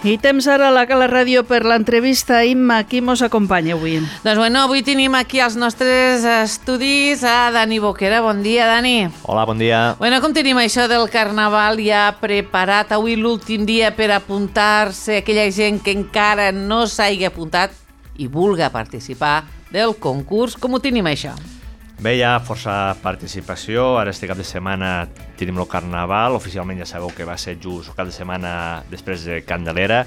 I temps ara a la ràdio per l'entrevista. Imma, qui mos acompanya avui? Doncs bueno, avui tenim aquí als nostres estudis a Dani Boquera. Bon dia, Dani. Hola, bon dia. Bueno, com tenim això del Carnaval ja preparat? Avui l'últim dia per apuntar-se aquella gent que encara no s'hagi apuntat i vulga participar del concurs. Com ho tenim això? Bé, hi ha força participació. Ara este cap de setmana tenim el Carnaval. Oficialment ja sabeu que va ser just el cap de setmana després de Candelera.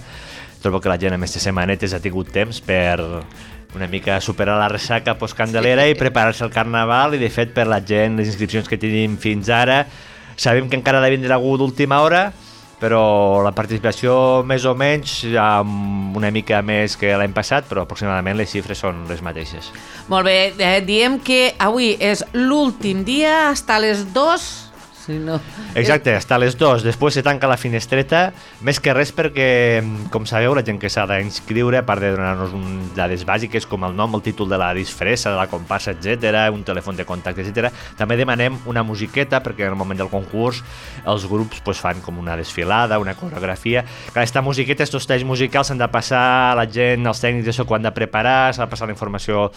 Trobo que la gent amb aquestes setmanetes ha tingut temps per una mica superar la ressaca post-Candelera i preparar-se al Carnaval. I de fet, per la gent, les inscripcions que tenim fins ara, sabem que encara ha de vindre algú d'última hora, però la participació més o menys una mica més que l'any passat, però aproximadament les xifres són les mateixes. Molt bé, diem que avui és l'últim dia, fins a les 2. Si no... Exacte, fins a les 2. Després se tanca la finestreta, més que res perquè, com sabeu, la gent que s'ha d'inscriure, a part de donar-nos dades bàsiques com el nom, el títol de la disfressa, de la comparsa, etc., un telèfon de contacte, etc., també demanem una musiqueta, perquè en el moment del concurs els grups fan com una desfilada, una coreografia. Aquesta musiqueta, aquests talls musicals s'han de passar a la gent, els tècnics d'això que ho han de preparar, s'ha de passar la informació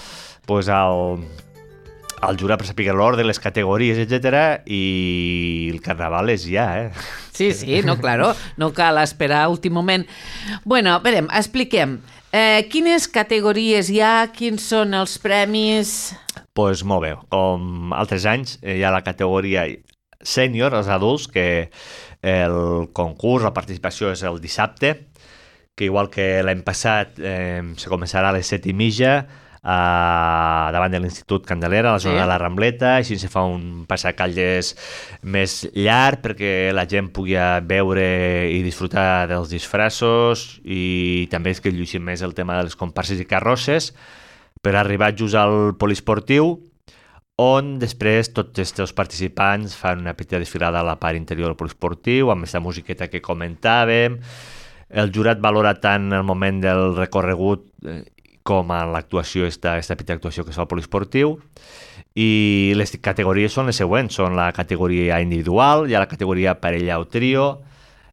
al jurat per saber l'ordre, les categories, etc. I el Carnaval és ja, Sí, no, claro, no cal esperar a últim moment. Bueno, verem, expliquem. Quines categories hi ha? Quins són els premis? Doncs molt bé, com altres anys hi ha la categoria sènior, els adults, que el concurs, la participació és el dissabte, que igual que l'any passat se començarà a les 7:30 davant de l'Institut Candelera, a la zona de la Rambleta. Així se fa un passacalles més llarg perquè la gent pugui veure i disfrutar dels disfressos, i també és que lluixin més el tema de les comparses i carrosses per arribar just al poliesportiu, on després tots els participants fan una petita desfilada a la part interior del poliesportiu amb aquesta musiqueta que comentàvem. El jurat valora tant el moment del recorregut com a l'actuació, aquesta petita actuació que és el poliesportiu. I les categories són les següents. Són la categoria individual, hi ha la categoria parella o trio,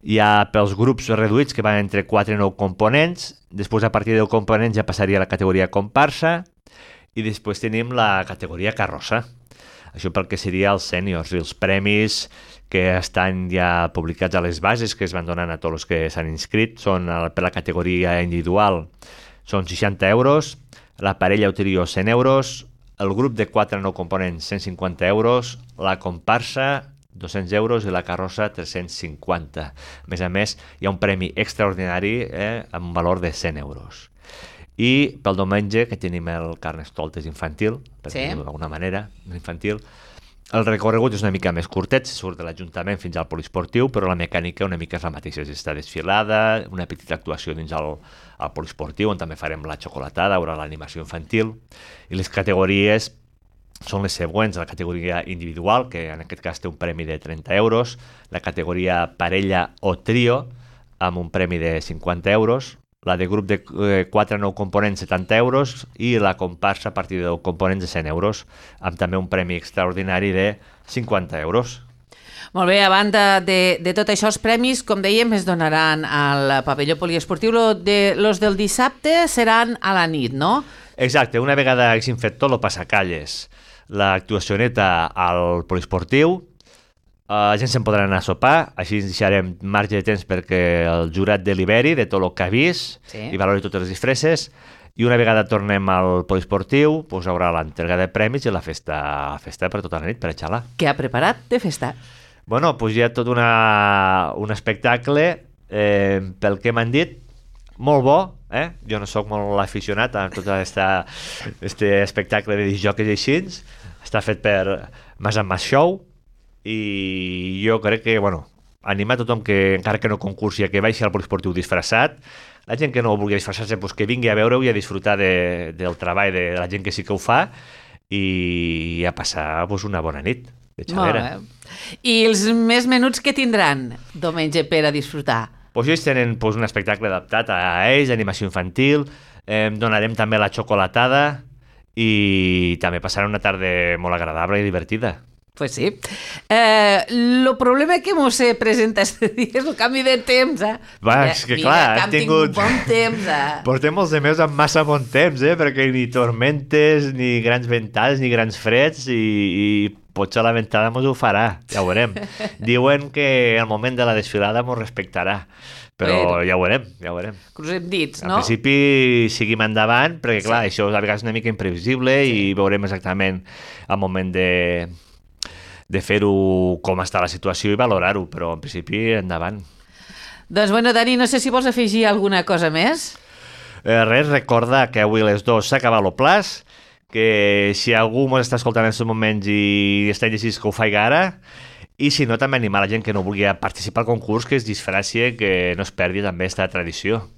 hi ha pels grups reduïts que van entre 4 i 9 components, després a partir de 10 components ja passaria a la categoria comparsa, i després tenim la categoria carrossa. Això pel que seria els sèniors i els premis que estan ja publicats a les bases que es van donant a tots els que s'han inscrit. Són per la categoria individual són 60 euros, la parella o trio 100 euros, el grup de 4 a 9 components 150 euros, la comparsa 200 euros i la carrossa 350. A més, hi ha un premi extraordinari amb un valor de 100 euros. I pel diumenge, que tenim el Carnestoltes infantil, per dir-ho d'alguna manera, infantil, el recorregut és una mica més curtet, se surt de l'Ajuntament fins al poliesportiu, però la mecànica una mica és la mateixa, és esta desfilada, una petita actuació dins al poliesportiu, on també farem la xocolatada, haurà l'animació infantil, i les categories són les següents: la categoria individual, que en aquest cas té un premi de 30 euros, la categoria parella o trio, amb un premi de 50 euros, la de grup de 4 a 9 components 70 euros i la comparsa a partir de 10 components de 100 euros, amb també un premi extraordinari de 50 euros. Molt bé, a banda de tot això, els premis, com dèiem, es donaran al pavelló poliesportiu. Los del dissabte seran a la nit, no? Exacte, una vegada haguéssim fet tot el passacalles, l'actuació neta al poliesportiu, la gent se'n podrà anar a sopar, així ens deixarem marge de temps perquè el jurat deliberi de tot el que ha vist i valori totes les disfresses, i una vegada tornem al poliesportiu hi haurà l'entrega de premis i la festa per tota la nit, per a xalar. Què ha preparat de festa? Bueno, hi ha tot un espectacle, pel que m'han dit, molt bo, jo no sóc molt aficionat a tot aquest espectacle de discjòqueis i així, està fet per Mas en Mas Show, i jo crec que, animar tothom que, encara que no concursi, que vagi al poliesportiu disfressat. La gent que no vulgui disfressar-se, que vingui a veure-ho i a disfrutar del treball de la gent que sí que ho fa, i a passar una bona nit de xalera. I els més menuts que tindran diumenge per a disfrutar? Ells tenen un espectacle adaptat a ells, animació infantil, donarem també la xocolatada i també passarà una tarda molt agradable i divertida. Pues sí. Lo problema que mos se presenta este dia és el canvi de temps, Va, és que clar, hem tingut bon temps, Portem els mesos amb massa bon temps, perquè ni tormentes, ni grans ventades, ni grans freds, i potser la ventada mos ho farà, ja ho veurem. Diuen que al moment de la desfilada mos respectarà, però ja ho veurem. Crucem dits, no? Al principi seguim endavant, perquè clar, això a vegades és una mica imprevisible i veurem exactament al moment de fer-ho com està la situació i valorar-ho, però en principi endavant. Doncs bueno, Dani, no sé si vols afegir alguna cosa més. Res, recorda que avui a les 2 s'ha acabat el plaç, que si algú ens està escoltant en aquests moments i està indecís que ho faci ara, i si no, també animar la gent que no vulgui participar al concurs, que es disfraci, que no es perdi també aquesta tradició.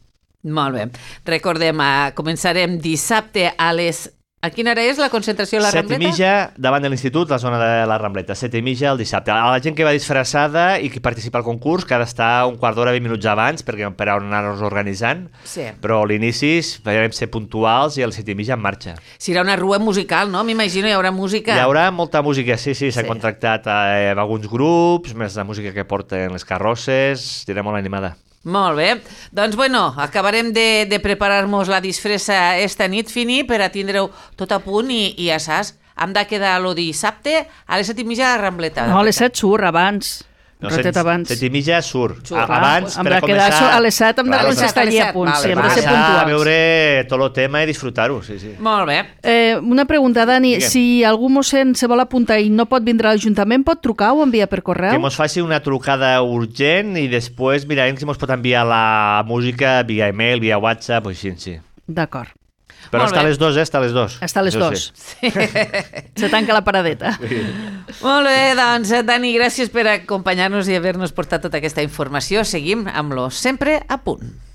Molt bé. Recordem, començarem dissabte a les... A quina hora és la concentració a la Rambleta? 7:30 davant de l'institut, la zona de la Rambleta. 7:30 el dissabte. A la gent que va disfressada i que participa al concurs, que ha d'estar un quart d'hora, 20 minuts abans, perquè per anar-nos organitzant. Sí. Però a l'inici farem ser puntuals i a les 7:30 en marxa. Serà una rua musical, no? M'imagino hi haurà música. Hi haurà molta música, sí. S'han contractat alguns grups, més la música que porten les carrosses, dirà molt animada. Molt bé. Doncs, bueno, acabarem de preparar-nos la disfressa esta nit, Fini, per a tindre-ho tot a punt i ja saps, hem de quedar el dissabte a les 7:30 a la Rambleta. No, a les 7 surt, abans. No, un ratet abans. 7:30 surt. Surt, Abans, Hem per de a començar... quedar a les 7, hem de començar a estar allà a punt. Sí, hem de ser a puntuals. veure tot el tema i disfrutar-ho, sí. Molt bé. Una pregunta, Dani. Digue'm. Si algú mossèn se vol apuntar i no pot vindre a l'Ajuntament, pot trucar o enviar per correu? Que mos faci una trucada urgent i després mirarem si mos pot enviar la música via email, via WhatsApp o així, sí. D'acord. Però Molt està a bé. les 2, està a les 2. Està a les 2. Sí. Se tanca la paradeta. Molt bé, doncs, Dani, gràcies per acompanyar-nos i haver-nos portat tota aquesta informació. Seguim amb lo sempre a punt.